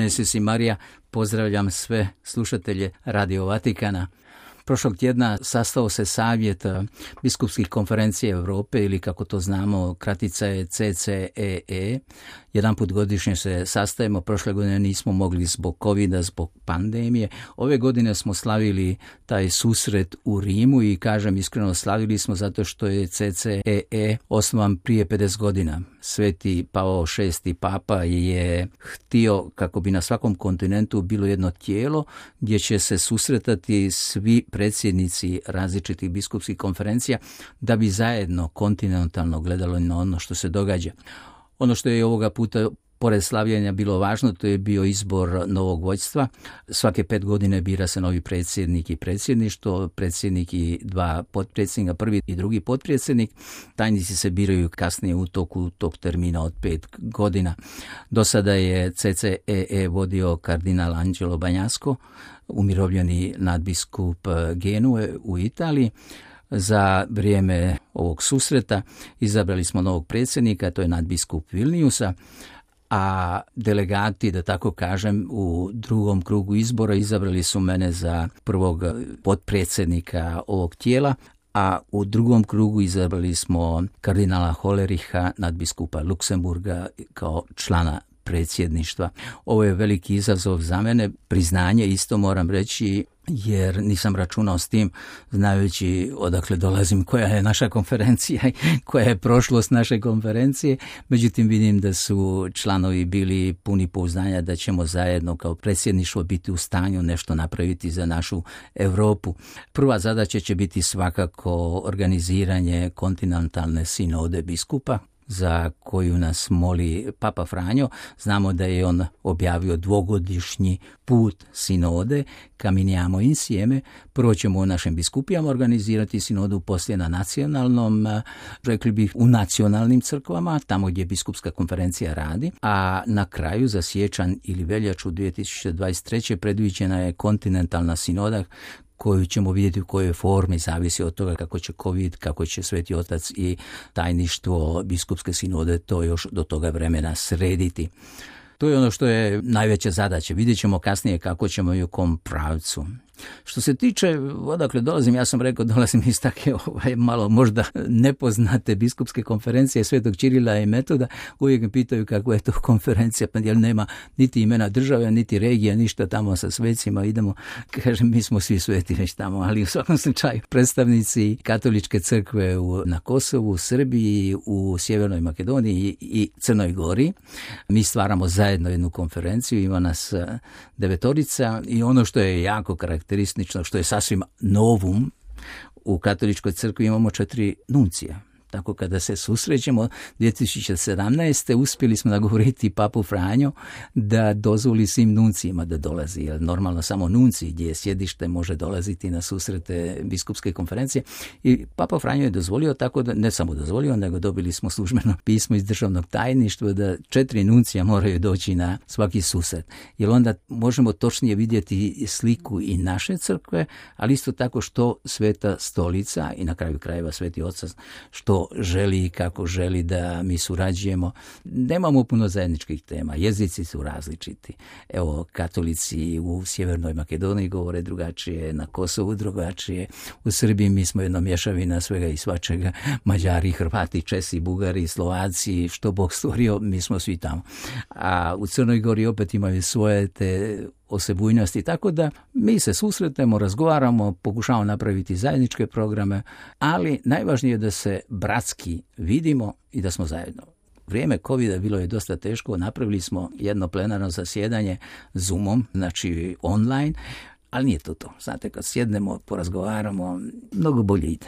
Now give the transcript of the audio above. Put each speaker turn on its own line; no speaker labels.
Si Marija, pozdravljam sve slušatelje Radio Vatikana. Prošlog tjedna sastao se savjet biskupskih konferencija Europe, ili kako to znamo, kratica je CCEE. Jedan put godišnje se sastajemo, prošle godine nismo mogli zbog covida, zbog pandemije. Ove godine smo slavili taj susret u Rimu i kažem iskreno slavili smo zato što je CCEE osnovan prije 50 godina. Sveti Pavao VI papa je htio kako bi na svakom kontinentu bilo jedno tijelo gdje će se susretati svi predsjednici različitih biskupskih konferencija da bi zajedno kontinentalno gledalo na ono što se događa. Ono što je ovoga puta pored slavljenja bilo važno, to je bio izbor novog vodstva. Svake 5 godine bira se novi predsjednik i predsjedništvo, predsjednik i 2 potpredsjednika, prvi i drugi potpredsjednik. Tajnici se biraju kasnije u toku tog termina od 5 godina. Do sada je CCEE vodio kardinal Angelo Bagnasco, umirovljeni nadbiskup Genue u Italiji. Za vrijeme ovog susreta izabrali smo novog predsjednika, to je nadbiskup Vilniusa, a delegati, da tako kažem, u drugom krugu izbora izabrali su mene za prvog potpredsjednika ovog tijela, a u drugom krugu izabrali smo kardinala Hollericha, nadbiskupa Luksemburga, kao člana predsjedništva. Ovo je veliki izazov za mene, priznanje isto moram reći, jer nisam računao s tim, znajući odakle dolazim, koja je naša konferencija i koja je prošlost naše konferencije. Međutim, vidim da su članovi bili puni pouzdanja da ćemo zajedno kao predsjedništvo biti u stanju nešto napraviti za našu Europu. Prva zadaća će biti svakako organiziranje kontinentalne sinode biskupa, za koju nas moli Papa Franjo. Znamo da je on objavio 2-godišnji put sinode Camminiamo insieme. Prvo ćemo u našim biskupijama organizirati sinodu, poslije na nacionalnom, rekli bih u nacionalnim crkvama, tamo gdje biskupska konferencija radi, a na kraju za siječanj ili veljaču 2023. predviđena je kontinentalna sinoda koju ćemo vidjeti u kojoj formi, zavisi od toga kako će COVID, kako će Sveti Otac i tajništvo biskupske sinode to još do toga vremena srediti. To je ono što je najveća zadaća. Vidjet ćemo kasnije kako ćemo i u kom pravcu. Što se tiče odakle dolazim, ja sam rekao dolazim iz take malo možda nepoznate biskupske konferencije Svetog Čirila i Metoda. Uvijek me pitaju kako je to konferencija, pa jer nema niti imena države, niti regija, ništa tamo sa svecima. Idemo, kažem, mi smo svi sveti već tamo, ali u svakom slučaju predstavnici katoličke crkve na Kosovu, u Srbiji, u Sjevernoj Makedoniji i Crnoj Gori. Mi stvaramo zajedno jednu konferenciju, ima nas 9 i ono što je jako karakteristično, što je sasvim novum, u katoličkoj crkvi imamo 4 nuncija. Tako kada se susrećemo 2017. uspjeli smo nagovoriti Papu Franjo da dozvoli svim nuncijima da dolazi. Jer normalno samo nunciji gdje je sjedište može dolaziti na susrete biskupske konferencije. I Papa Franjo je dozvolio, tako da ne samo dozvolio, nego dobili smo službeno pismo iz državnog tajništva da 4 nuncija moraju doći na svaki susret. Jer onda možemo točnije vidjeti sliku i naše crkve, ali isto tako što Sveta Stolica i na kraju krajeva Sveti Otac što želi i kako želi da mi surađujemo. Nemamo puno zajedničkih tema, jezici su različiti. Evo, katolici u Sjevernoj Makedoniji govore drugačije, na Kosovu drugačije, u Srbiji mi smo jedna mješavina svega i svačega, Mađari, Hrvati, Česi, Bugari, Slovaci, što Bog stvorio, mi smo svi tamo. A u Crnoj Gori opet imaju svoje te osebujnosti, tako da mi se susretnemo, razgovaramo, pokušavamo napraviti zajedničke programe, ali najvažnije je da se bratski vidimo i da smo zajedno. Vrijeme covida bilo je dosta teško, napravili smo jedno plenarno zasjedanje Zoomom, znači online, ali nije to. Znate, kad sjednemo, porazgovaramo, mnogo bolje ide.